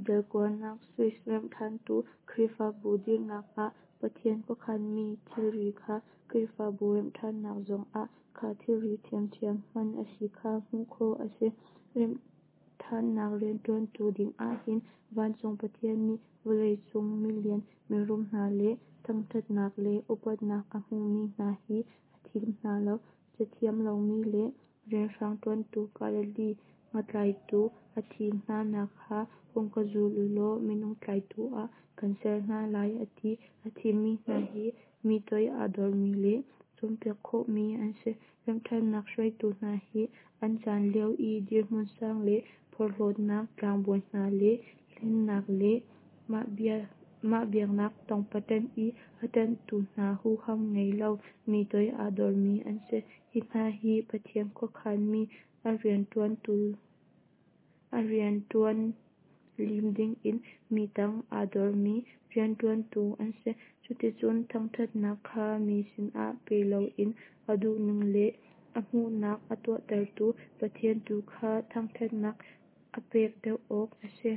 Dal kuanak Swiss Remhṭhantu Khrihfabu dirhnak ah Pathian khuakhanmi thilri kha Khrihfabu remhṭhannak zongah kha thilri ṭhiamṭhiam hman a si kha hmuh khawh a si. Remhṭhannak rianṭuantu dingah hin vancung Pathian nih vawlei cung milian mirum hna le thangṭhatnak le upatnak a hmumi hna hi a thim hna lo. Cathiam lomi le rianhrang ṭuantu Galilee ngatlaitu a thim hna nak kha hung ka zul ulaw minung tlaitu ah kan ser hna lai a ti. A thimmi hna hi mi toi aa dormi le cawnpiak khawhmi an si. Remhṭhannak hruaitu hna hi an caan lio i dirhmun sang le porhlawtnak, tlangbawi hna le hlennak le mah biaknak tongpaṭan i a ṭanhtu hna huham ngei lo, mi toi aa dormi an si. Hi hna hi Pathian khuakhanmi a rianṭuan lim dingin mi tang aa dormi rianṭuantu an si. Cuticun thangṭhatnak kha mi sinah pe loin a duhning le a hmuhnak a tuahtertu Pathian tu kha thangṭhatnak a pek deuh awk a si.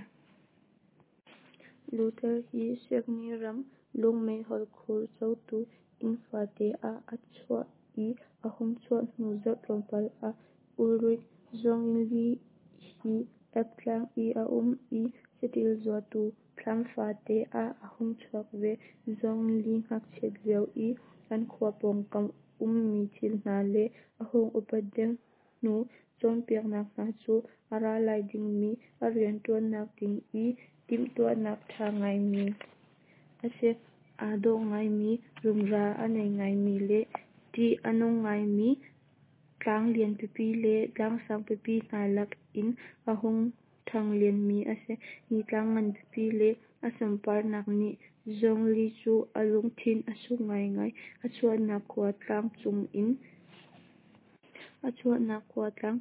Luther hi Siakni ram lungmeihol khur cotu inn fate ah a chuak i a hung chuah hnu zarh tlawmpal ah Ulrich Zwingli hi Alp tlang i a um i saṭil zuatu thlam fate ah a hung chuak ve. Zwingli ngakchiat lio i an khua pawngkam ummi thil hna le a hung upat deuh hnu cawnpiaknak hna cu a ra lai dingmi a rianṭuannak ding i timhtuahnak ṭha ngaimi a si. Aa dawh ngaimi, rumra a nei ngaimi le ṭih a nung ngaimi tlang lian pipi le tlang sang pipi hna lak in a hung ṭhang lianmi a si. Hi tlang ngan pipi le a sunparnak nih Zwingli cu a lungthin a suk ngaingai. A chuahnak khua tlang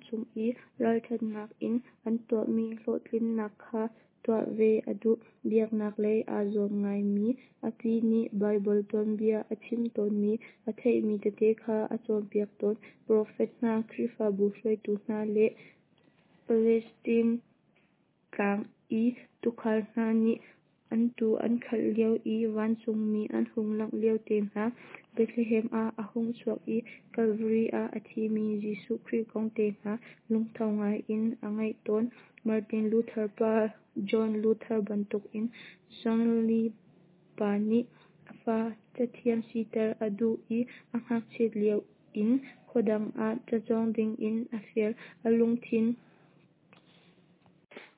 cung i ralṭhatnak in an tuahmi hlawhtlinnak kha tuah ve a duh. Biaknak lei aa zuam ngaimi a pi nih Baibal tuanbia a chimh tawnmi a theihmi tete kha a cawnpiak tawn. Profet hna, Khrihfabu hruaitu hna le Palestine tlang i tuukhal hna nih an tuu an khalh lio i vancungmi an hung langh lio te hna, Bethlehem ah a hung chuak i Kalvari ah a thimi Jesuh Khrih kong te hna lungtho ngai in a ngaih tawn. Martin Luther pa John Luther bantukin Zwingli pa nih a fa cathiam siter a duh i a ngakchiat lio in khuadang ah cacawng dingin a fial. A lungthin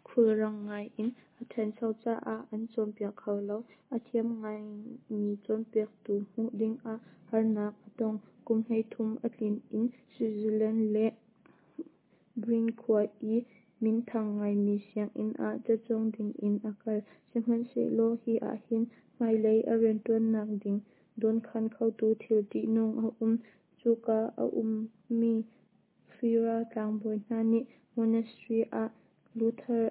khulrang ngai in a ṭhancho caah an cawnpiak kho lo. A thiam ngaimi cawnpiaktu hmuh dingah harnak a tong. Kum 33 a tlin in Switzerland le Bern khua i minthang ngaimi sianginn ah cacawng dingin a kal. Sihmanhsehlaw hi ahhin hmailei a rianṭuannak ding dawnkhan khotu thil ṭihnung a um. Cuka a ummi Friar tlangbawi hna nih monastery ah Luther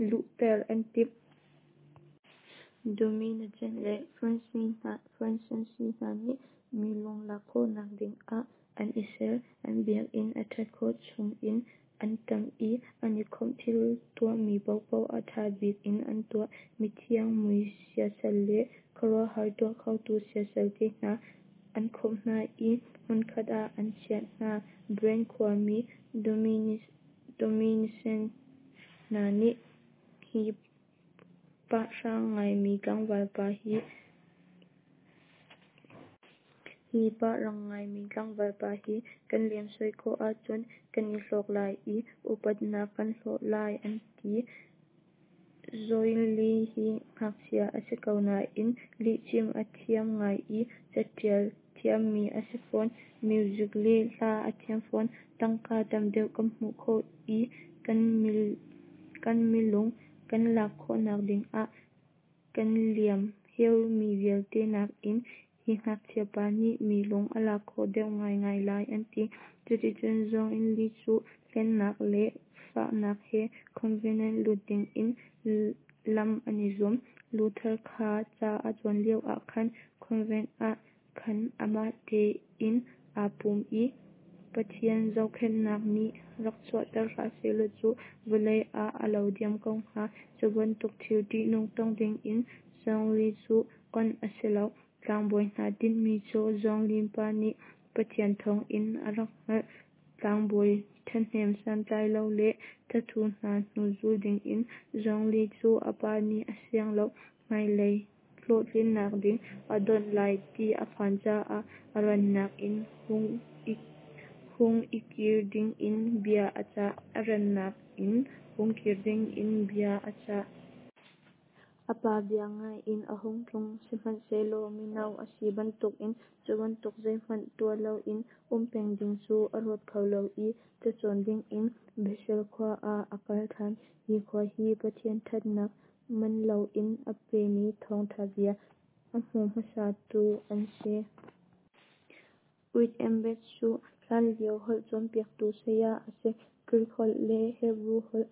luhter an timh. Dominican le Francis hna nih mi lung lak khawhnak dingah an i ser. An biakinn a ṭhat khawh chungin an ṭamh i an i khawmh. Thil tuahmi paohpaoh a ṭha bik in an tuah. Mithiang mui siasal le khuaruahhar tuah khotu siasal te hna an khawmh hna i hmunkhat ah an chiah hna. Bern khuami Dominican hna nih hi pahrang ngaimi tlangval pa hi kan lemsoi khawh ahcun kan i hlawk lai i upatnak kan hlawh lai an ti. Zwingli hi ngakchia a si ko nain lihchim a thiam ngai i caṭial thiammi a si fawn. Music le hla a thiam fawn. Tangka tam deuh kan hmuh khawh i kan milung kan lak khawhnak dingah kan liam heumi vialte nakin hi ngakchia pa nih mi lung a lak khawh deuh ngaingai lai an ti. Cuticun Zwingli cu hlennak le fahnak he convent lut dingin lam an i zuam. Luther kha ca a cawn lio ah khan convent ah khan amah tein aa pum i. Pathian zohkhenhnak nih rak chuahter hlah sehlaw cu vawlei ah a lo diam ko hnga. Cu bantuk thil ṭihnung tong dingin Zwingli cu onh a si lo. Tlangbawi hna tinhmi cu Zwingli pa nih Pathian thawngin a rak hngalh. Tlangbawi ṭhahnem santlai lo le thathu hna hnu zul dingin Zwingli cu a pa nih a siang lo. Hmailei hlawhtlinnak ding a donh lai ti a phan caah a rannak in hung i kir dingin bia a cah. A rannak in hung kir dingin bia a cah. A pa bia ngai in a hung tlung. Sihmanhsehlaw mino a si bantukin cu bantuk zeihmanh tuah loin um peng ding cu a ruat kho lo i cacawn dingin Basel khua ah a kal ṭhan. Hi khua hi Pathian ṭhatnak man loin a pemi thawngṭha bia a hmu hmasatu an si. Wittenberg cu hlanlio holh cawnpiaktu saya a si. Greek holh le Hebru holh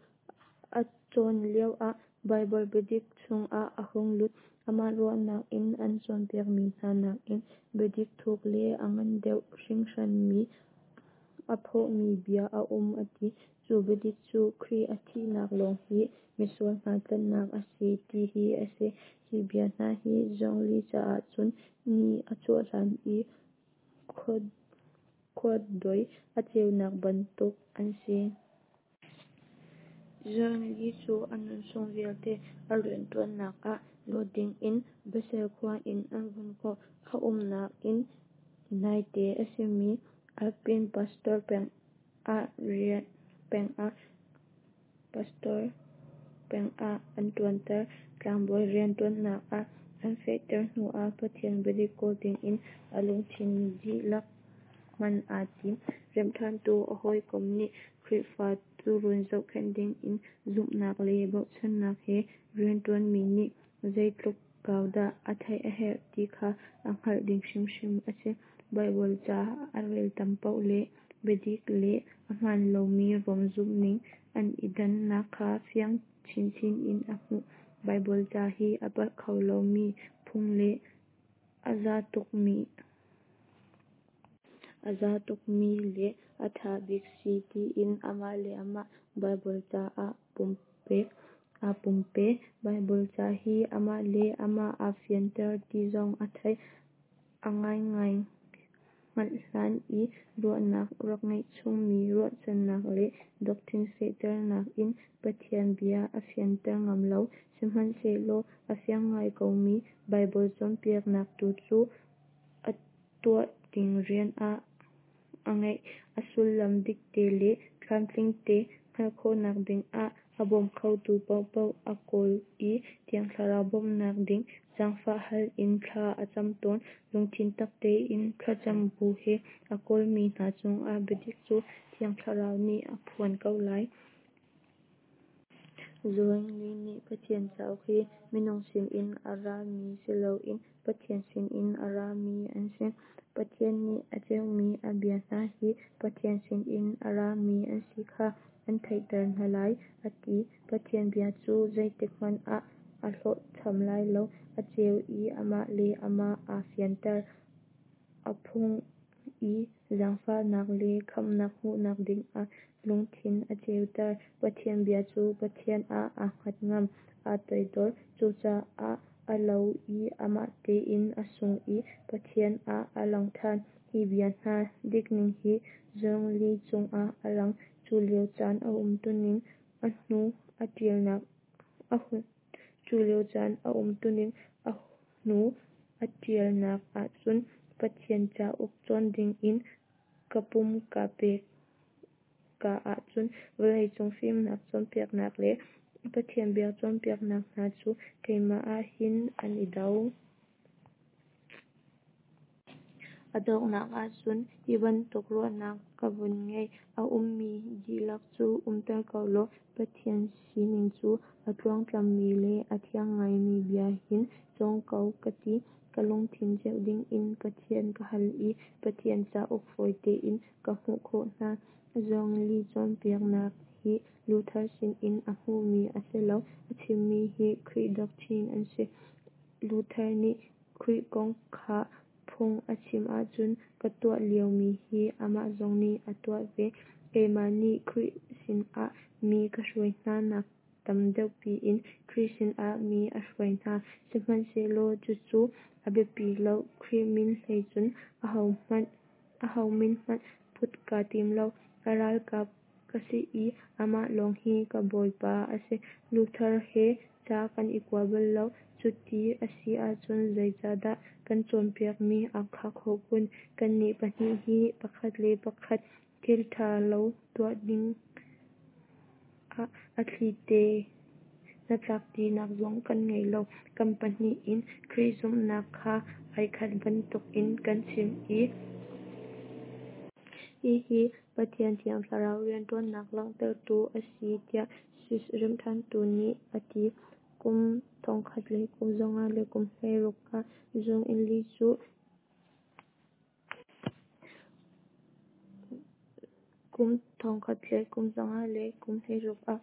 a cawn lioah Baibal biadik chungah a hung lut. Amah ruahnak in an cawnpiakmi hna nakin biadik thuk le a ngan deuh hringhranmi aa phawmi bia a um a ti. Cu biadik cu Khrih a thihnak lawng hi misual hna tlanhnak a si ti hi a si. Hi bia hna hi Zwingli caah cun ni a chuah hlan i khuadei a ceunak bantuk an si. Zwingli cu a nunchung vialte a rianṭuannak ah luat dingin Basel khua in an vun kawh. A umnak in naite a simi Alpine pastor peng ah an ṭuanter. Tlangbawi rianṭuannak ah an fehter hnuah Pathian biadik kawl dingin a lungthin dihlak hman aa tim. Remhṭhantu a hawikom nih Khrihfa tuurun zohkhenh dingin zumhnak le bochannak he rianṭuanmi nih zeitluk kau dah a theih a herh ti kha a hngalh ding hrimhrim a si. Baibal ca a rel tam paoh le biadik le a hmaan lomi Rom zumhning an i dannak kha fiang chinchin in a hmuh. Baibal ca hi a palh kho lomi phung le a za tukmi le a ṭha bik si tiin amah le amah Baibal ca ah aa pumpe. Baibal ca hi amah le amah aa fianter ti zong a theih. A ngaingai hngalh hlan i ruahnak rak ngeih chungmi ruahchannak le doctrine fehternak in Pathian bia a fianter ngam lo. Sihmanhsehlaw a fiang ngai komi Baibal cawnpiaknak tu cu a tuah ding rian ah a ngeih. A sullam dikte le tlamtlingte hngalh khawhnak dingah a bawm khotu paohpaoh a kawl i Thiang Thlarau bawmhnak ding zaangfah hal in thla a cam tawn. Lungthin tak tein thlacam bu he a kawlmi hna cungah biadik cu Thiang Thlarau nih a phuan ko lai. Zwingli nih Pathian cauk hi minung sinin a rami siloin Pathian sinin a rami an si. Pathian nih a cheuhmi a bia hna hi Pathian sinin a rami an si kha an theihter hna lai, a ti. Pathian bia cu zeitik hmanh ah a hlawhcham lai lo. A ceu i amah le amah aa fianter, aa phuang i zaangfahnak le khamhnak hmuhnak dingah lungthin a ceuter. Pathian bia cu Pathian ah aa hngat ngam, aa toidor. Cucaah a lo i amah tein a sung i Pathian ah a lang ṭhan. Hi bia hna dikning hi Zwingli cungah a lang. Cu lio caan a umtuning a hnu a ṭialnak Cu lio caan a umtuning a hnu a ṭialnak ahcun Pathian cauk cawn dingin ka pum kaa pek ka ahcun vawleicung fimnak cawnpiaknak le Pathian bia cawnpiaknak hna cu keimah ah hin an i do. A donghnak ahcun hi bantuk ruahnak ka vun ngei. A ummi dihlak cu umter ko law Pathian sining cu a tluangtlammi le a thiang ngaimi bia hin cawng ko ka ti. Ka lungthin cheuh dingin Pathian ka hal i Pathian cauk fawi tein ka hmuh khawh hna. Zwingli cawnpiaknak hi Luther sinin a hmuhmi a si lo. A chimmi hi Khrih doctrine an si. Luther nih Khrih kong kha. Phung a chim ahcun ka tuah liomi hi amah zong nih a tuah ve. Keimah nih Khrih sinah mi ka hruai hna nak tam deuh piin Khrih sinah mi a hruai hna. Sihmanhsehlaw cucu a biapi lo, Khrih min hlei cun aho min hmanh put kaa tim lo. A ralkap ka si i amah lawng hi ka bawipa a si. Luther he ca kan i kua bal lo. Cuti a si ahcun zeicahdah kan cawnpiakmi aa khah khawh kun? Kannih pahnih hi pakhat le pakhat thil ṭha lo tuah dingah a thlite hnatlakṭinak zong kan ngei lo. Kan pahnih in Khrih zumhnak kha ai khat bantukin kan chim i hihi Pathian Thiang Thlarau rianṭuannak langhtertu a si tiah Swiss remhṭhantu nih a ti. Kum 1560 ah Zwingli cu 1560 ah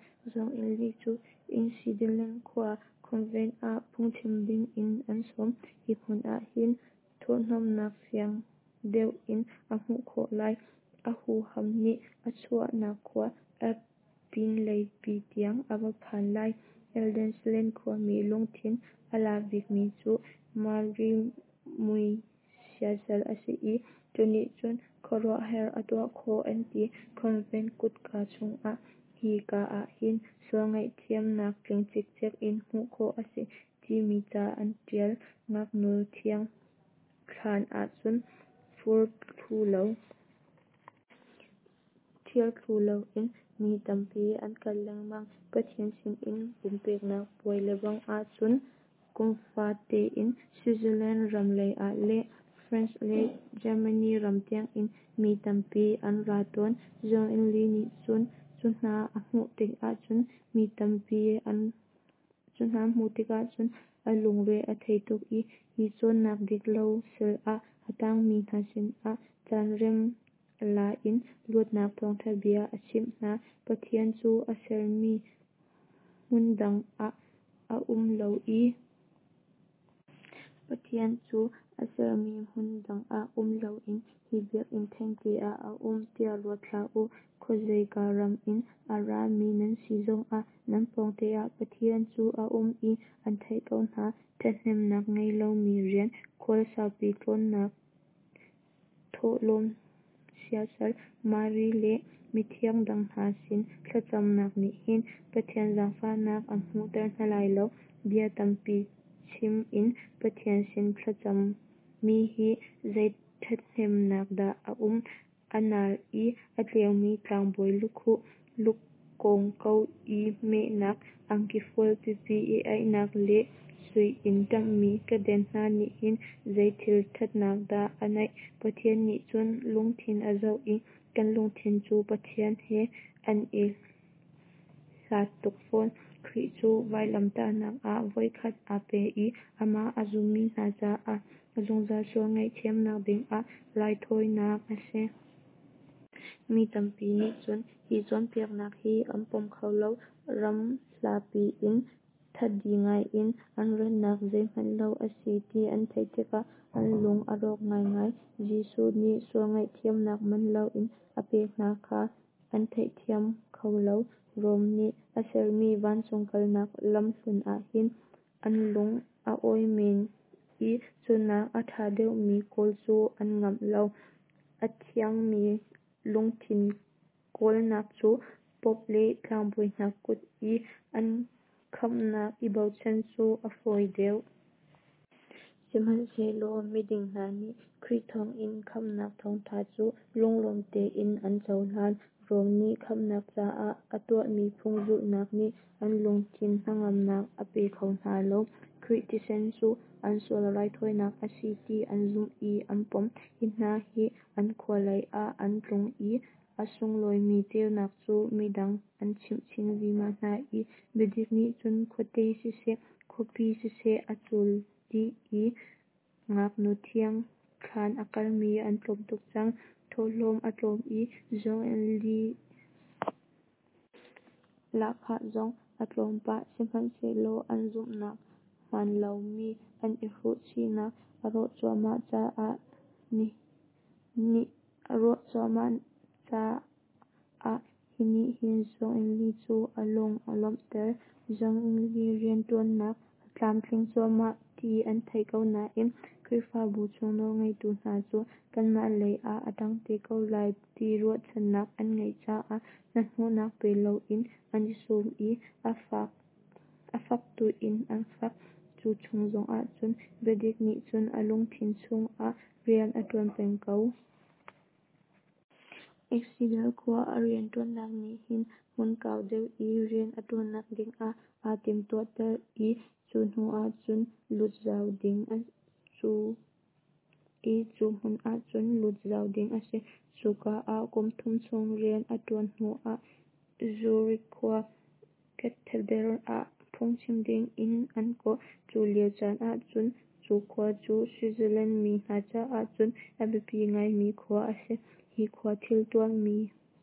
Einsiedeln khua convent ah phungchim dingin an sawm. Hi hmun ah hin thurhhnawmhnak fiang deuh in a hmuh khawh lai. A huham nih a chuahnak khua Alps pinlei pi tiang a va phan lai. Einsiedeln khuami lungthin a la bikmi cu Mary mui siasal a si i, cu nih cun khuaruahhar a tuah khawh an ti. Convent kutka cungah "Hi ka ah hin sual ngaihthiamnak tling cikcek in hmuh khawh a si" timi ca an ṭial. Ngaknu thiang thlaan ahcun fur thlu lo, ṭhial thlu loin mi tampi an kal lengmang. Pathian sinin pumpeknak puai lebang ahcun kum fate in Switzerland ram leiah le France le Germany ram tiangin mi tampi an ra tawn. Zwingli nih cun cu hna a hmuh tikah cun mi tampi an cu hna hmuh tikah cun a lungre a thei tuk i hi cawnnak dik lo sal ah a tangmi hna sinah caan rem la in luatnak thawngṭha bia a chimh hna. Pathian cu a sermi hmundang ah a um lo i Pathian cu a sermi hmun dang ah um loin hi biakinn thengte ah a um tiah ruat hlah u. Khuazeika ram in a rami nan si zongah nan pawngte ah Pathian cu a um i an theih ko hna. Ṭhathnemnak ngei lomi rian, khual saupi tlawnnak, thawhlawm siasal, Mari le mithiang dang hna sin thlacamnak nih hin Pathian zaangfahnak an hmuhter hna lai lo. Bia tampi chim in Pathian sin thlacam mi hi zei ṭhathnemnak dah a um? A nal i a tleumi tlangbawi lukhuh, lukawngko i mehnak, angki fual pipi i aihnak le sui in ṭamhmi keden hna nih hin zei thil ṭhatnak dah a neih? Pathian nih cun lungthin a zoh i kan lungthin cu Pathian he an i hlat tuk fawn. Khrih cu vailamtahnak ah voikhat aa pe i amah a zummi hna caah zungzal sual ngaihthiamnak dingah raithawinak a si. Mi tampi nih cun hi cawnpiaknak hi an pom kho lo. Ram hlapi in thadi ngaiin an ratnak zeihmanh lo a si ti an theih tikah an lung a rawk ngaingai. Jesuh nih sual ngaihthiamnak man loin a pek hna kha an theihthiam kho lo. Rom nih a sermi vancung kalnak lamhlun ah hin an lung a awi men i cunak a ṭha deuhmi kawl cu an ngamh lo. A thiangmi lungthin kawlnak cu Pope le tlangbawi hna kut i an khamhnak i bochan cu a fawi deuh. Sihmanhsehlaw miding hna nih Khrih thawngin khamhnak thawngṭha cu lunglawm tein an cohlan. Rom nih khamhnak caah a tuahmi phung zulhnak nih an lungthin hnangamnak a pe kho hna lo. Khrih thisen cu an sual raithawinak a si ti an zumh i an pom. Hi hna hi an khua lei ah an tlung i a sunglawimi ceunak cu midang an chimh chin vima hna i biadik nih cun khuate siseh, khuapi siseh a cul dih i ngaknu thiang thlaan a kalmi an tlawm tuk cang. Thawhlawm a tlawm i Zwingli lahkhah zong a tlawm pah. Sihmanhsehlaw an zumhnak hmaan lomi an i hruh chihnak a rawh cuahmah caah hi nih hin Zwingli cu a lung a lawmhter. Zwingli rianṭuannak a tlamtling cuahmah ti an theih ko nain Khrihfabu chung nawlngeitu hna cu kanmah lei ah a ṭang te ko lai ti ruahchannak an ngeih caah hnahnawhnak pe loin an i sum i a fak tuin an fak. Cu chung zongah cun biadik nih cun a lungthin chungah rian a ṭuan peng ko. Einsiedeln khua a rianṭuannak nih hin hmun kau deuh i rian a ṭuannak dingah aa timhtuahter i cu hnu ahcun lut zau ding a si. Cuka ah kum thum chung rian a ṭuan hnuah Zurich khua Cathedral ah phungchim dingin an kawh. Cu lio caan ahcun cu khua cu Switzerland mi hna caah cun a biapi ngaimi khua a si. Hi khua thil tuahmi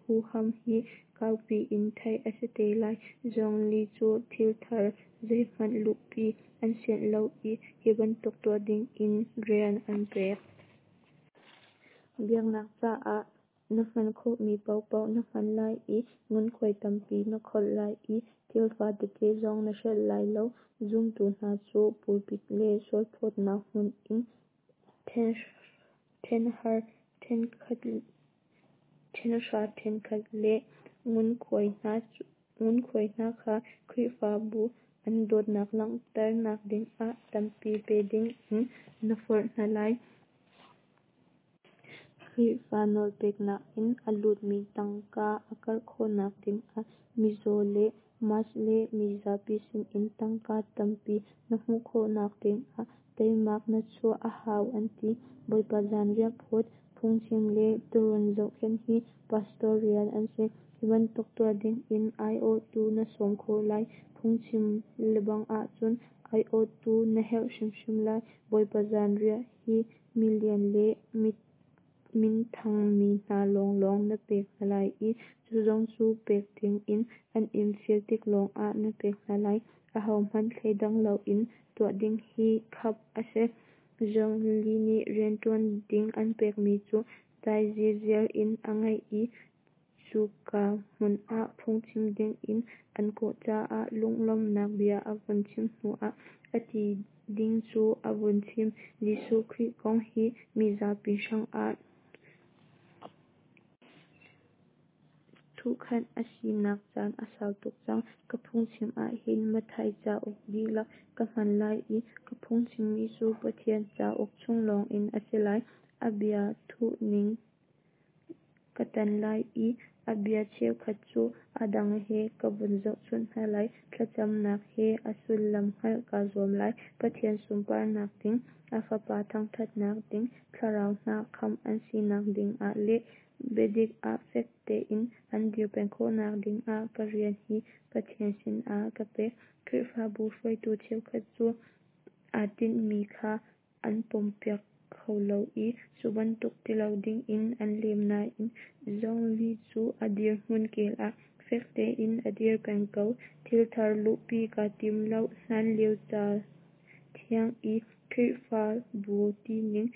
huham hi kaupi in theih a si te lai. Zwingli cu thil thar zeihmanh luhpi an sianh lo i hi bantuk tuah dingin rian an pek. Biaknak caah na hman khawhmi paohpaoh na hman lai i ngunkhuai tampi na kholh lai i thil fa tete zong na hrelh lai lo. Zumtu hna cu pulpit le sualphawtnak hmun in ṭhenhra ṭhenkhat le ngunkhuai hna kha Khrihfabu an dawtnak langhternak dingah tampi pe dingin na forh hna lai. Khrihfa nawlpeknak in a lutmi tangka a karh khawhnak dingah mizaw le Mass le mizapi sinin tangka tampi na hmuh khawhnak dingah teimak na chuah a hau an ti. Bawipa zanriah phawt, phungchim le tuurun zohkhenh hi pastor rian an si. Hi bantuk tuah dingin aiawhtu na sawm khawh lai. Phungchim lebang ahcun aiawhtu na herh hrimhrim lai. Bawipa zanriah hi milian le minthang mi hna lawnglawng na pek hna lai i cu zong cu pek dingin an in fial tik lawngah na pek hna lai. Ahohmanh thleidang loin tuah ding hi khap a si. Zwingli nih rianṭuan ding an pekmi cu dai zirziar in a ngaih i cuka hmun ah phungchim dingin an kawh caah lunglawmhnak bia a vun chim hnuah a ti ding cu a vun chim: Jesuh Khrih kong hi mizapi hrangah thuhkhanh a sinak caan a sau tuk cang. Ka phungchim ahhin Matthai cauk dihlak ka hman lai i ka phungchimmi cu Pathian cauk chung lawngin a si lai. A bia duhning ka tan lai i a bia cheukhat cu a dang he ka vun zohchunh hna lai. Thlacamnak he a sullam hngalh kaa zuam lai. Pathian sunparnak ding, a Fapa thangṭhatnak ding, thlarau hna khamh an sinak dingah le biadik ah fek tein an dir peng khawhnak dingah ka rian hi Pathian sinah ka pek. Khrihfabu hruaitu cheukhat cu aa tinhmi kha an pompiak kho lo i cu bantuk ti lo dingin an lem nain Zwingli cu a dirhmun kel ah fek tein a dir peng ko. Thil thar luhpi kaa tim lo. Hlanlio cathiang i Khrihfabu tining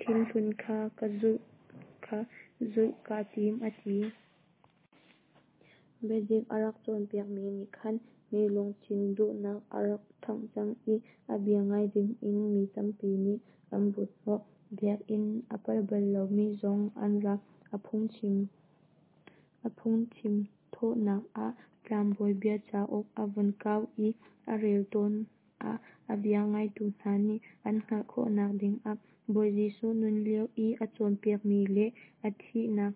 thilhlun kha zulh kaa tim, a ti. Biadik a rak cawnpiakmi nih khan mi lungthin duhnak a rak ṭhangh cang i a bia ngai dingin mi tampi nih an but hnawh. Biakinn a pal bal lomi zong an ra. A phungchim thawhnak ah Tlangbawi Bia cauk a vun kau i a rel tawn ah a bia ngaitu hna nih an hngalh khawhnak dingah Bawi Jesuh nun lio i a cawnpiakmi le a thihnak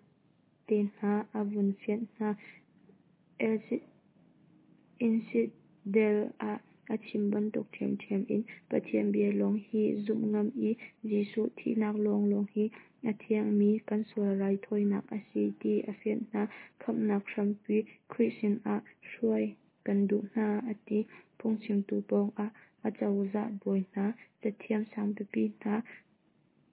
te hna a vun fianh hna. Einsiedeln ah a chim bantuk ṭhiamṭhiam in Pathian bia lawng hi zumh ngam i Jesuh thihnak lawnglawng hi a thiangmi kan sual raithawinak a si ti a fianh hna. Khamhnak hrampi Khrih sinah hruai kan duh hna, a ti. Phungchimtu pawngah acozah bawi hna, cathiam sangpipi hna.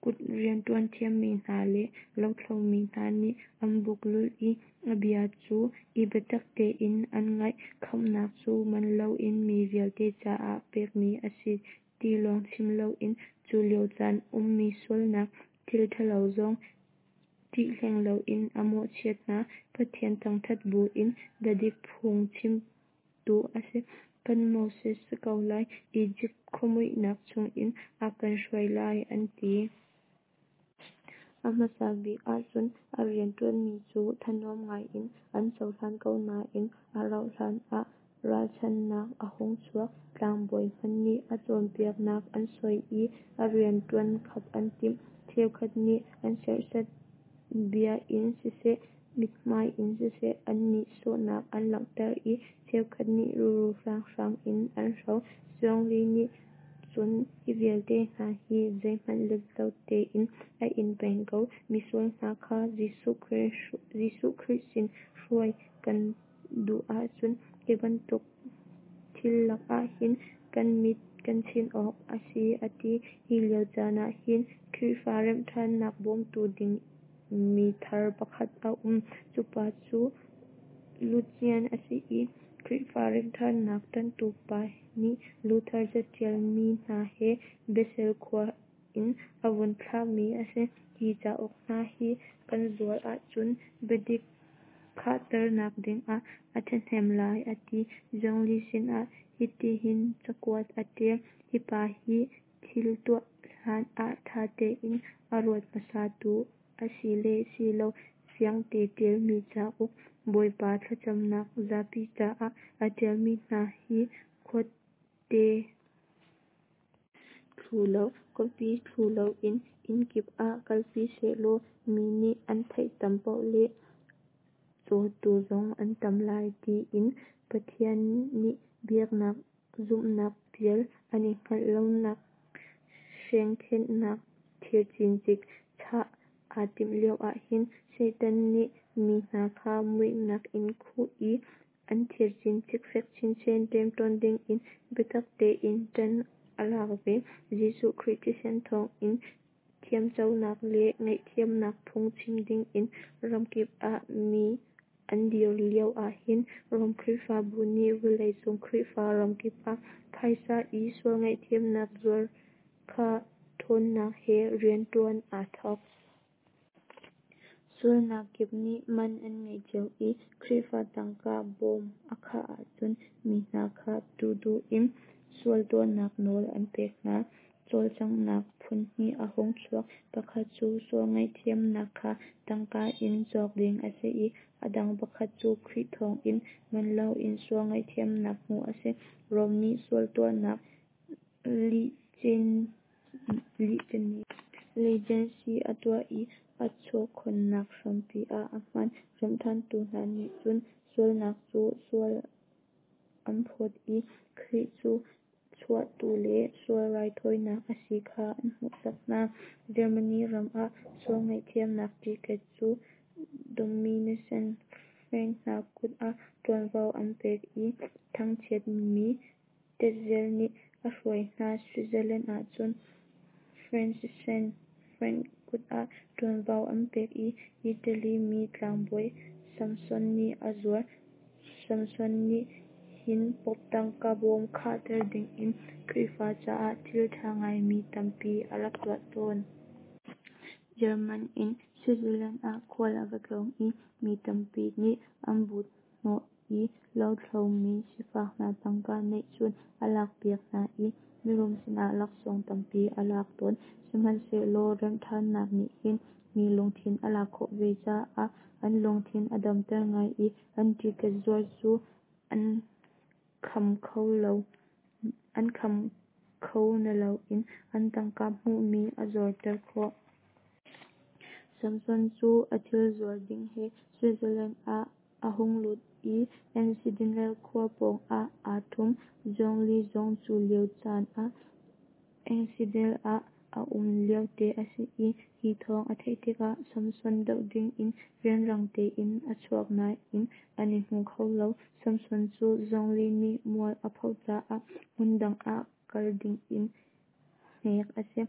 Kut rianṭuan thiammi hna le lothlo mi hna nih an buk lulh i a bia cu i biatak tein an ngaih. Khamhnak cu man loin mi vialte caah pekmi a si ti lawng chim loin cu lio caan ummi sualnak thil ṭhalo zong ṭih hleng loin a mawhchiat hna. Pathian thangṭhat buin biadik phung chimtu a si. Kan Moses si ko lai, Izipt khuamuihnak chungin a kan hruai lai, an ti. A hmasa bik ahcun a rianṭuanmi cu thanuam ngaiin an cohlan ko nain a rauhhlan ah ralchanhnak a hung chuak. Tlangbawi hmanh nih a cawnpiaknak an soi i a rianṭuan khap an timh. Cheukhat nih an serhsat, bia in siseh, mithmai in siseh an nihsawhnak an langhter i cheukhat nih ruru hranghrang in an hro. Zwingli nih cun hi vialte hna hi zeihmanh let lo tein a in peng ko. Misual hna kha Jesuh Khrih sin hruai kan duh ahcun hi bantuk thil lakah hin kan mit kan chinh awk a si a ti. Hi lio caan ah hin Khrihfa remhṭhannak bawmtu ding mi thar pakhat a um. Cu pa cu Lucian a si i Khrihfa remhṭhannak ṭanhtu pa nih Luther caṭial mi hna he Basel khua in a vun thlahmi a si. Hi cauk hna hi kan zuar ahcun biadik khahternak dingah a ṭhahnem lai, a ti. Zwingli sinah hitihin cakuat a ṭial: Hi pa hi thil tuah hlan ah ṭha tein a ruat hmasatu a si le si lo fiangte ṭialmi cauk, Bawipa thlacamnak zapi caah a ṭialmi hna hi khuate thlu lo, copy thlu loin inn kip ah kalpi sehlaw mi nih an theih tam paoh le cawtu zong an tam lai, tiin. Pathian nih biaknak zumhnak pial an i hngalh lonak hrengkhenhnak thir cincik chah aa timh lio ahhin Satan nih mi hna kha muihnak in khuh i an thir cincik fek chinchin ṭemṭawn dingin biatak tein ṭan a lak ve. Jesuh Khrih thisen thawngin thiamconak le ngaihthiamnak phung chim dingin ramkip ah mi an dir lio ahhin Rom Khrihfabu nih vawleicung Khrihfa ramkip ah phaisa i sual ngaihthiamnak zuar kha ṭhawnnak he rianṭuan aa thawk. Sualnak kip nih man an ngei cio i Khrihfa tangka bawm a khah ahcun mi hna kha duhduh in sual tuahnak nawl an pek hna. Cawlcanghnak phunhnih a hung chuak. Pakhat cu sual ngaihthiamnak kha tangka in cawk ding a si i a dang pakhat cu Khrih thawngin man loin sual ngaihthiamnak hmuh a si. Rom nih sual tuahnak license a tuah i a chawkhonnak hrampi ah a hman. Remhṭhantu hna nih cun sualnak cu sual an phawt i Khrih cu chuahtu le sual raithawinak a si kha an hmuhsak hna. Germany ram ah sual ngaihthiamnak ticket cu Dominican Frank hna kut ah ṭuanvo an pek i thangchiatmi Tetzel nih a hruai hna. Switzerland ahcun Franciscan Frank kut ah ṭuanvo an pek i Italy mi tlangbawi Samson nih a zuar. Samson nih hin Pope tangka bawm khahter dingin Khrihfa caah thil ṭha ngaimi tampi a rak tuah tawn. German in Switzerland ah khual a va tlawng i mi tampi nih an but hnawh i lothlo mi sifak hna tangka neihchun a lakpiak hna i mirum sinah laksawng tampi a lak tawn. Sihmanhsehlaw remhṭhannak nih hin mi lungthin a lak khawh ve caah an lungthin a damter ngai i an ticket zuar cu an kham kho naloin an tangka hmuhmi a zorter khawh. Samson cu a thil zuar ding he Switzerland ah a hung lut i Einsiedeln khua pawngah aa ṭhum. Zwingli zong cu lio caan ah Einsiedeln ah a um liote a si i hi thawng a theih tikah Samson doh dingin rianrang tein a chuak nain an i hmu kho lo. Samson cu Zwingli nih mual a phoh caah hmundang ah kal dingin hnek a si.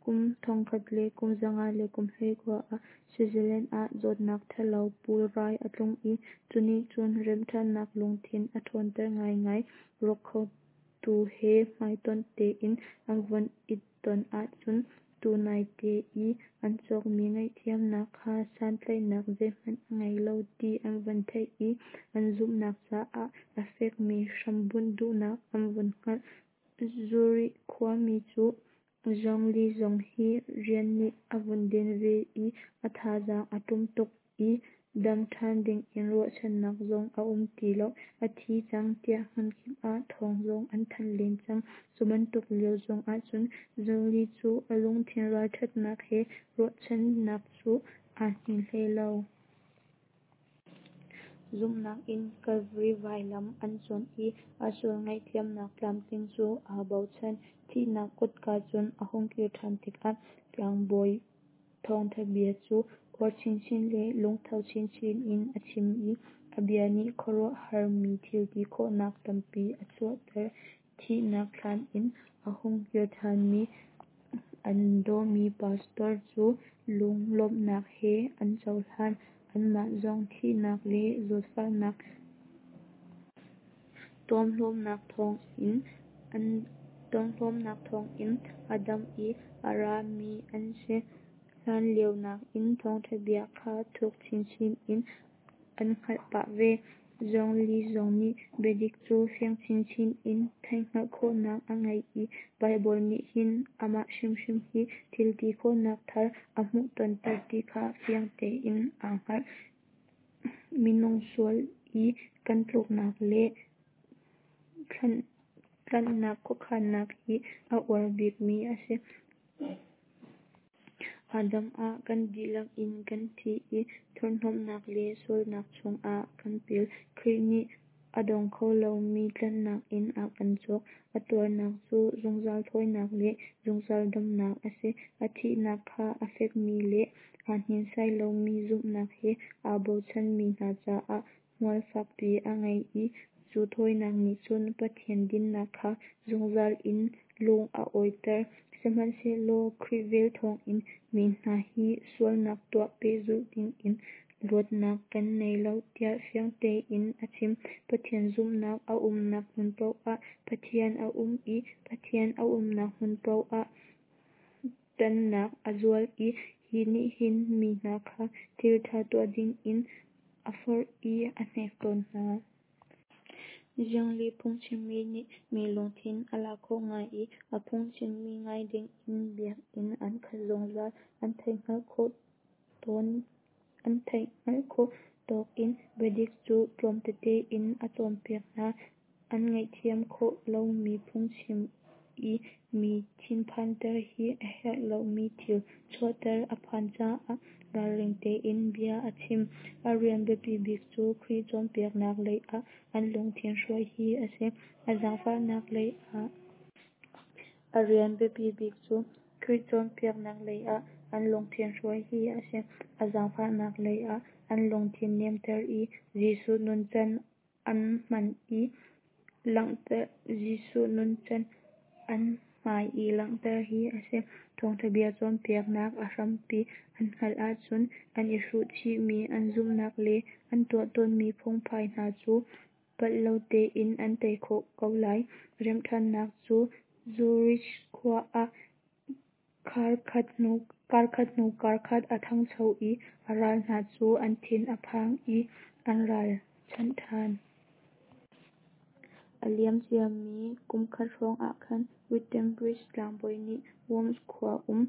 Kum 1519 ah Switzerland ah zawtnak ṭhalo pulrai a tlung i cu nih cun remhṭhannak lungthin a ṭhawnter ngaingai. Rawk khotu he hmaitonh tein an vun i ton ahcun tunaite i an cawkmi ngaihthiamnak kha santlaihnak zeihmanh a ngei lo ti an vun theih i an zumhnak caah a fekmi hrambunh duhnak an vun hngalh. Zurich khuami cu Zwingli zong hi rian nih a vun den ve i a thazaang a ṭum tuk i dam ṭhan dingin ruahchannak zong a um ti lo, a thi cang tiah hmunkip ah thawng zong an thanh len cang. Cu bantuk lio zong ahcun Zwingli cu a lungthin ralṭhatnak he ruahchannak cu aa hnin hlei lo. Zumhnak in Kalvari vailam an cuanh i a sual ngaihthiamnak tlamtling cu aa bochan. Thihnak kutka cun a hung kir ṭhan tikah tlangbawi thawngṭha bia cu uar chinchin le lungtho chinchin in a chim i a bia nih khuaruahhar mi thilti khawhnak tampi a chuahter. Thihnak thlan in a hung kir ṭhanmi an dawmi pastor cu lunglawmhnak he an cohlan. Anmah zong thihnak le zawtfahnak tuamhlawmnak thawngin a dam i a ra mi an si. Hlanlio nakin thawngṭha bia kha thuk chinchin in an hngalh pah ve. Zwingli zong nih biadik cu fiang chinchin in theihhngalh khawhnak a ngei i Baibal nih hin amah hrimhrim hi thilti khawhnak thar a hmuhtonter ti kha fiang tein aa hngalh. Minung sual i kan tluknak le tlanhnak khuakhannak hi a uar bikmi a si. Adam ah kan dihlak in kan thi i thurhnomhnak le sualnak chungah kan pil. Khrih nih a dong kho lomi tlanhnak in a kan cawk. A tuarnak cu zungzal thawinak le zungzal damnak a si. A thihnak kha a fekmi le aa hninsai lomi zumhnak he aa bochanmi hna caah hmual fakpi a ngei i cu thawinak nih cun Pathian dinnak kha zungzal in lung a awiter. Sihmanhsehlaw Khrih vel thawngin mi hna hi sualnak tuah pehzulh dingin luatnak kan ngei lo tiah fiang tein a chim. Pathian zumhnak a umnak hmun paoh ah Pathian a um i Pathian a umnak hmun paoh ah ṭanhnak a zual i hi nih hin mi hna kha thil ṭha tuah dingin a forh i a hnek tawn hna. Zwingli phungchimmi nih mi lungthin a lak khawh ngai i a phungchimmi ngai dingin biakinn an khat zungzal. An theihhngalh khawh tawk in biadik cu tlawm tete in a cawnpiak hna. An ngaihthiam khawh lomi phungchim i mi thinphanter hi a herh lomi thil chuahter a phan caah ralring tein bia a chim. A rian biapi bik cu Khrih cawnpiaknak lei ah an lungthin hruai hi a si. A zaangfahnak lei ah A rian biapi bik cu Khrih cawnpiaknak lei ah an lungthin hruai hi a si. A zaangfahnak lei ah an lungthin nemter i Jesuh nuncan an hmai i langhter hi a si. Thawngṭha bia cawnpiaknak a hrampi an hngalh ahcun an i hruh chihmi an zumhnak le an tuah tawnmi phungphai hna cu palh lo tein an tei khawh ko lai. Remhṭhannak cu Zurich khua ah karkhat hnu karkhat a ṭhangcho i a ral hna cu an thin a phang i an ralchanh ṭhan. A liam ciami kumkhat hrawng ahkhan Wittenberg tlangbawi nih Worms khua um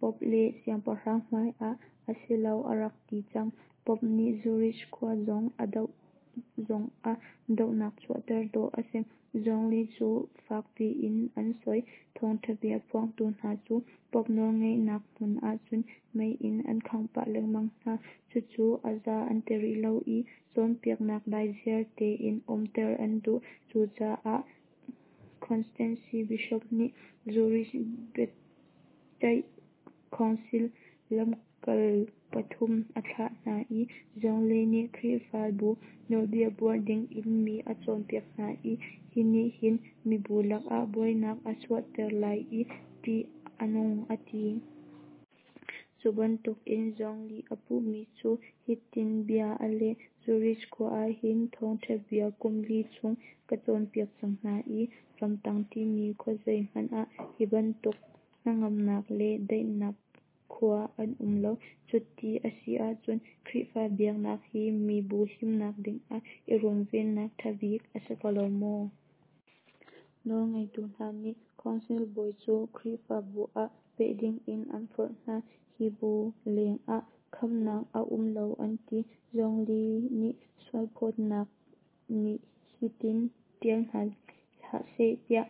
Pope le siangpahrang hmai ah a si lo a rak ti cang. Pope nih Zurich khua zong a doh zongah dohnak chuahter dawh a si. Zwingli cu fak piin an soi. Thawngṭha bia phuangtu hna cu Pope nawlngeihnak hmun ahcun mei in an khangh pah lengmang hna. Cucu a za an ti rih lo i cawnpiaknak daiziar tein umter an duh. Cucaah Constance Bishop nih Zurich biaceih council lamkal pathum a thlah hna i Zwingli nih Khrihfabu nawlbia buar dingin mi a cawnpiak hna i hi nih hin mibu lakah buainak a chuahter lai i ṭih a nung a ti. Cu bantukin Zwingli a puhmi cu hitin bia a leh: Zurich khua ah hin thawngṭha bia kum li chung ka cawnpiak cang hna i ramtang timi khuazei hmanh ah hi bantuk hnangamnak le daihnak khua an um lo. Cuti a si ahcun Khrihfa biaknak hi mibu himnak dingah i runvennak ṭha bik a si ko lo maw? Nawlngeitu hna nih Council bawi cu Khrihfabu ah peh dingin an forh hna. Hi bu lengah khamhnak a um lo an ti. Zwingli nih sualphawtnak nih hitin ṭial hna hlah seh tiah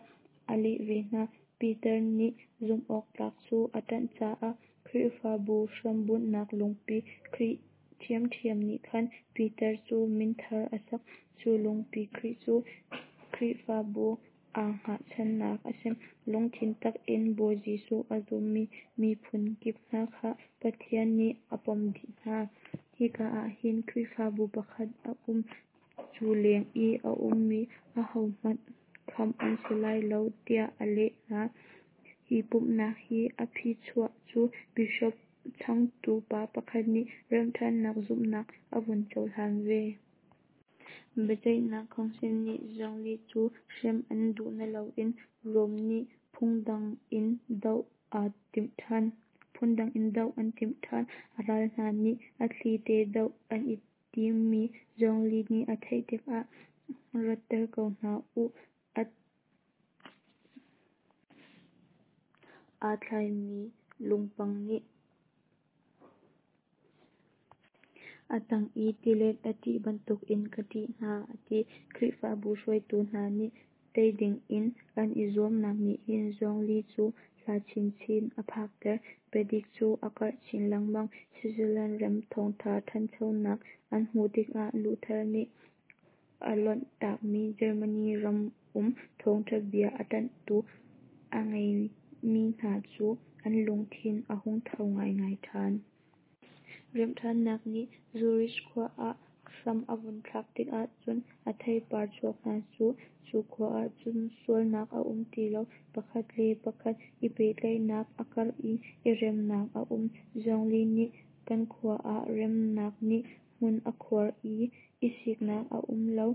a leh ve hna: Peter nih zumhawktlak cu a ṭanh caah Khrihfabu hrambunhnak lungpi Khrih ṭhiamṭhiam nih khan Peter cu min thar a sak. Cu lungpi Khrih cu Khrihfabu aa hngahchannak a si. Lungthin tak in Bawi Jesuh a zummi miphun kip hna kha Pathian nih a pom dih hna. Hika ah hin Khrihfabu pakhat a um. Cu leng i a ummi ahohmanh khamh an si lai lo, tiah a leh hna. Hi pumhnak i a phichuah cu Bishop changtu pa pakhat nih Remhṭhannak zumhnak a vun cohlan ve. Biaceihnak Council nih Zwingli cu hrem an duh nain Rome nih phundang in doh an timh ṭhan. A ral hna nih a thli te doh an i timmi Zwingli nih a theih tikah ratter ko hna u, aa tlaimi lungpang nih a tang i tilet a ṭih bantukin ka ṭih hna, a ti. Khrihfabu hruaitu hna nih tei dingin an i zuamnak nih hin Zwingli cu hla chinchin a phakter. Biadik cu a karh chin lengmang. Switzerland ram thawngṭha ṭhanchonak an hmuh tikah Luther nih a lonh takmi Germany ram um thawngṭha bia a ṭanhtu a ngeimi hna cu an lungthin a hung tho ngaingai ṭhan. Remhṭhannak nih Zurich khua ah hram a vun thlak tikah cun a theipar chuak hna cu, cu khua ahcun sualnak a um ti lo, pakhat le pakhat i pehtlaihnak a karh i, i remnak a um. Zwingli nih kan khua ah remnak nih hmun a khuar i, i siknak a um lo,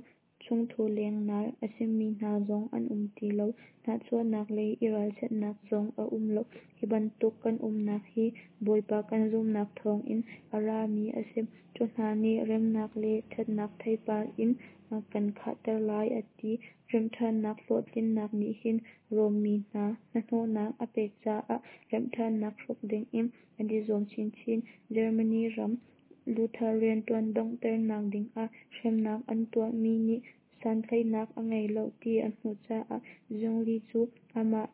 chungthu lengnal a simi hna zong an um ti lo, nahchuahnak le i ralchanhnak zong a um lo. Hi bantuk kan umnak hi Bawipa kan zumhnak thawngin a rami a si. Cu hna nih remnak le ṭhatnak theipar in a kan khahter lai, a ti. Remhṭhannak hlawhtlinnak nih hin Rom mi hna hnahnawhnak a pek caah remhṭhannak hrawk dingin an i zuam chinchin. Germany ram Luther rianṭuan donghternak dingah hremnak an tuahmi nih santlaihnak a ngei lo ti an hmuh caah Zwingli cu amah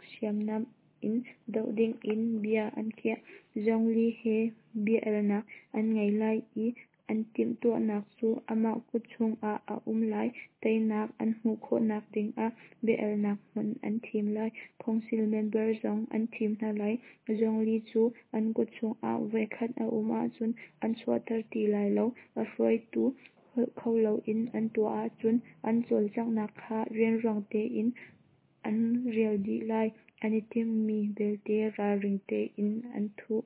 hriamnam in doh dingin bia an khiah. Zwingli he bia-alnak an ngei lai i an timhtuahnak cu amah kut chungah a um lai. Teinak an hmuh khawhnak dingah bia-alnak hmun an thim lai. Council member zong an thim hna lai. Zwingli cu an kut chungah voikhat a um ahcun an chuahter ti lai lo. A hruaitu holh kho loin an tuah ahcun an cawlcanghnak kha rianrang tein an rial dih lai. An i timhmi belte ralring tein an thuh.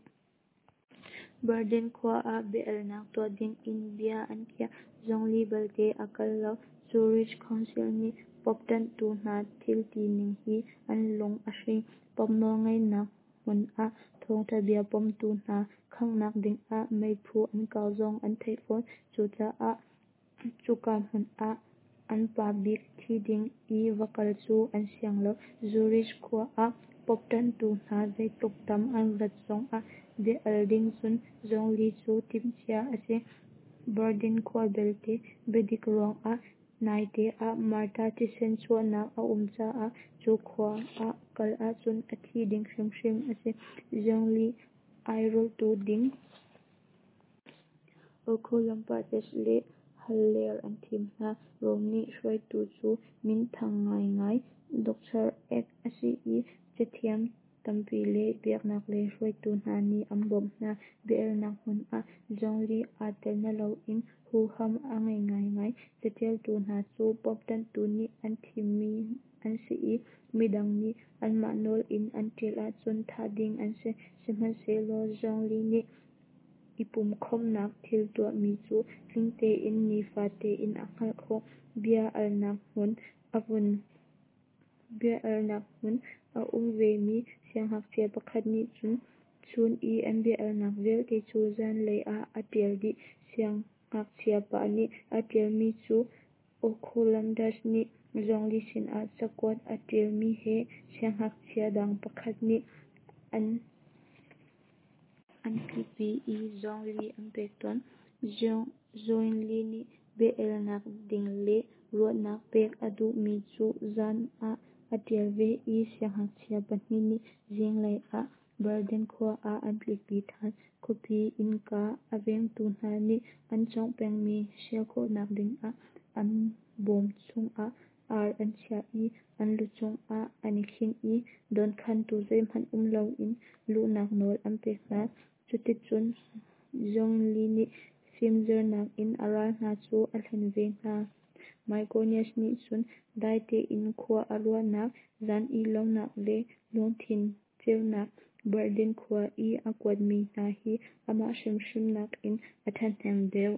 Berlin khua ah bia-alnak tuah dingin bia an khiah. Zwingli belte a kal lo. Zurich Council nih Pope ṭanhtu hna thil tining hi an lung a hring. Pope nawlngeihnak hmun ah thawngṭha bia pomtu hna khanghnak dingah meiphu an kau zong an theih fawn. Cucaah cuka hmun ah an pa bik thi ding i va kal cu an siang lo. Zurich khua ah Pope ṭanhtu hna zeitluk tam an rat zongah bia-al ding cun Zwingli cu timhcia a si. Berlin khua belte biadik ruangah naite ah martar thisen chuahnak a um caah cu khua ah kal ahcun a thi ding hrimhrim a si. Zwingli airolhtu ding Oecolampadius le Haller an thim hna. Rom nih hruaitu cu minthang ngaingai Doctor Eck a si i cathiam. Tampi le biaknak lei hruaitu hna nih an bawmh hna. Bia-alnak hmun ah Zwingli aa tel naloin huham a ngei ngaingai. Caṭialtu hna cu Pope ṭanhtu nih an thimmi an si i midang nih anmah nawl in an ṭial ahcun thah ding an si. Sihmanhsehlaw Zwingli nih i pumhkhawmhnak thil tuahmi cu tling tein nifa tein a hngalh khawh. Bia-alnak hmun a um vemi siangngakchia pakhat nih cun chun i an bia-alnak vialte cu zanlei ah a ṭial dih. Siangngakchia pa nih a ṭialmi cu Oecolampadius nih Zwingli sinah cakuat a ṭialmi he siangngakchia dang pakhat nih an tlikpi i Zwingli an pek tawn. Zwingli nih bia-alnak ding le ruahnak pek a duhmi cu zan ah a ṭial ve i siangngakchia pa nih zinglei ah Bergen khua ah an tlikpi ṭhan. Khuapi innka a vengtu hna nih an cawngh pengmi hrial khawhnak dingah an bawm chungah ar an chiah i an lucung ah an i khinh i dawnkhantu zeihmanh um loin luhnak nawl an pek hna. Cuticun Zwingli nih fimzirnak in a ral hna cu a hlen ve hna. Myconius nih cun dai tein khua a ruahnak, zan ih lonak le lungthin cheuhnak Bergen khua i a kuatmi hna hi amah hrimhrim nakin a ṭhahnem deuh.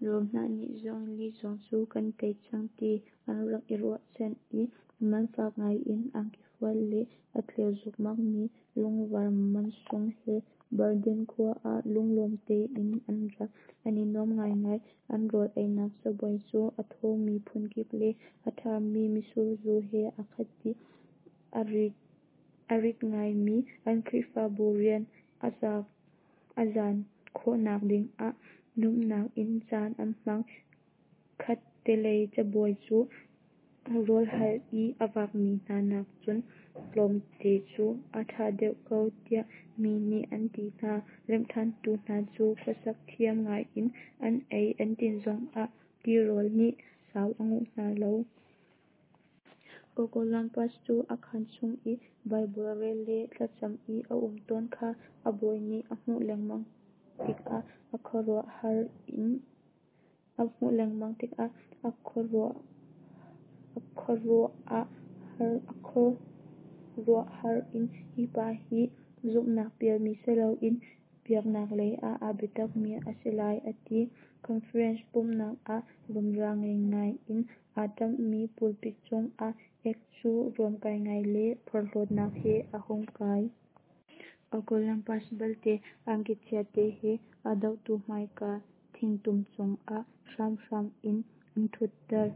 Rom hna nih Zwingli zong cu kan tei cang ti an rak i ruahchan i man fak ngai in angki fual le a tleu zukmak mi lungvar mansung he Bergen khua ah lunglawm tein an ra. An i nuam ngaingai. An rawl einak cabuai cu a thawmi phunkip le a ṭhami mitsur zu he a khat dih. A rit ngaimi an Khrihfabu rian a zan khawhnak dingah nuamhnak in caan an hmang. Khattelei cabuai cu rawl hal i a vakmi hna nak cun tlawmte cu a ṭha deuh ko tiah mi nih an ti hna. Remhṭhantu hna cu khuasak thiam ngaiin an ei an din zongah tirawl nih sau a nguh hna lo. Oecolampadius cu a khaan chung i Baibal rel le thlacam i a um tawn kha a bawi nih a hmuh lengmang tikah a khuaruahhar in hi pa hi zumhnak pialmi si loin biaknak lei ah aa biatakmi a si lai a ti. Conference pumhnak ah rumra ngaingai in aa ṭamhmi pulpit cungah Eck cu ruamkai ngai le porhlawtnak he a hung kai. Oecolampadius balte angki chiate he a dohtu hmaika thingtum cungah hramhram in an ṭhutter.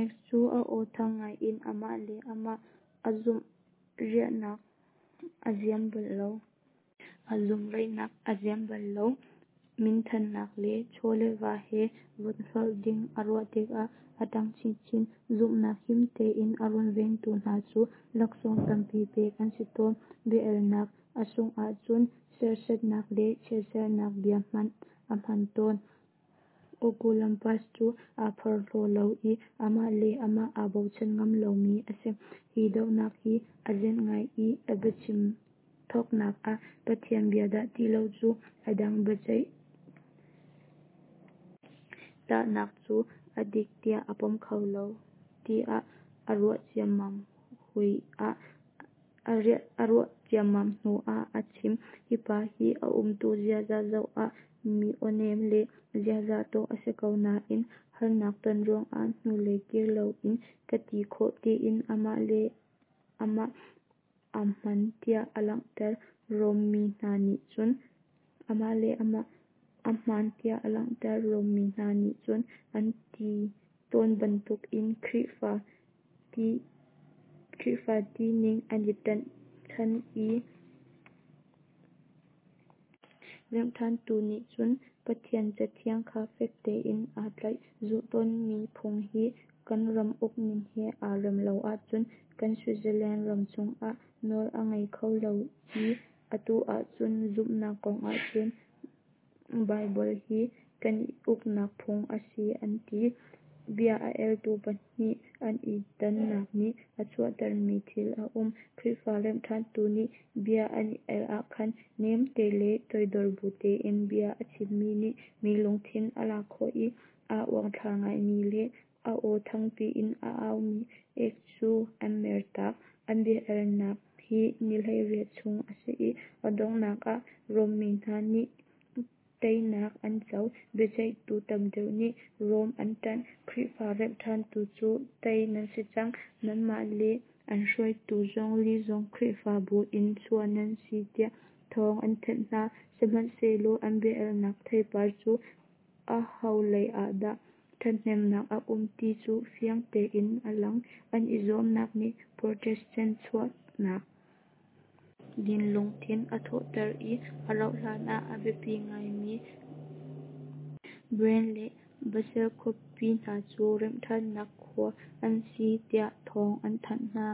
Eck cu a aw thang ngai in amah le amah aa zumhraihnak a ziam bal lo. Minthannak le chaw le va he rawlhloh ding a ruah tikah a ṭang chinchin. Zumhnak him tein a runvengtu hna cu laksawng tampi pek an si tawn. Bia-alnak a sungh ahcun serhsatnak le chiatserhnak bia hmanh a hman tawn. Oecolampadius cu aa porhlaw lo i amah le amah aa bochan ngam lomi a si. Hi dohnak hi a zenh ngai i a biachim thawknak ah Pathian bia dah ti lo cu a dang biaceih tahnak cu a dik tiah a pom kho lo tiah a ruah ciammam hnu ah a chim. Hi pa hi a umtu ziaza zoh ah mi awnem le ziaza dawh a si ko nain harnak ton ruangah hnulei kir loin ka ti khawh tiin amah le amah a hmaan tiah aa langhter. Rom mi hna nih cun amah le amah a hmaan tiah aa langhter. Rom mi hna nih cun an ti tawn bantukin Khrihfa tining an i ṭanhchan i Remhṭhantu nih cun Pathian Cathiang kha fek tein aa tlaih. Zulh tawnmi phung hi kan ram ukning he aa rem lo ahcun kan Switzerland ram chungah nawl a ngei kho lo i atu ahcun zumhnak kong ahcun Baibal hi kan i uknak phung a si an ti. Bia a eltu pahnih an i dannak nih a chuahtermi thil a um. Khrihfa remhṭhantu nih bia an i el ahkhan nemte le toidor bu tein bia a chimmi nih mi lungthin a lak khawh i, aa uangthlar ngaimi le a aw thangpi in a aumi ek cu an mertak. An bia elnak hi ni 18 chung a si i, a donghnak ah Rom mi hna nih teinak an co. Biaceihtu tam deuh nih Rom an ṭanh. Khrihfa remhṭhantu cu tei nan si cang, nanmah le an hruaitu Zwingli zong Khrihfabu in chuah nan si tiah thawng an thanh hna. Sihmanhsehlaw an bia elnak theipar cu aho lei ah dah ṭhathnemnak a um ti cu fiang tein a lang. An i zuamnak nih Protestant chuahnak ding lungthin a thawhter i, a rauh hlan ah a biapi ngaimi Bern le Basel khuapi hna cu remhṭhannak khua an si tiah thawng an thanh hna.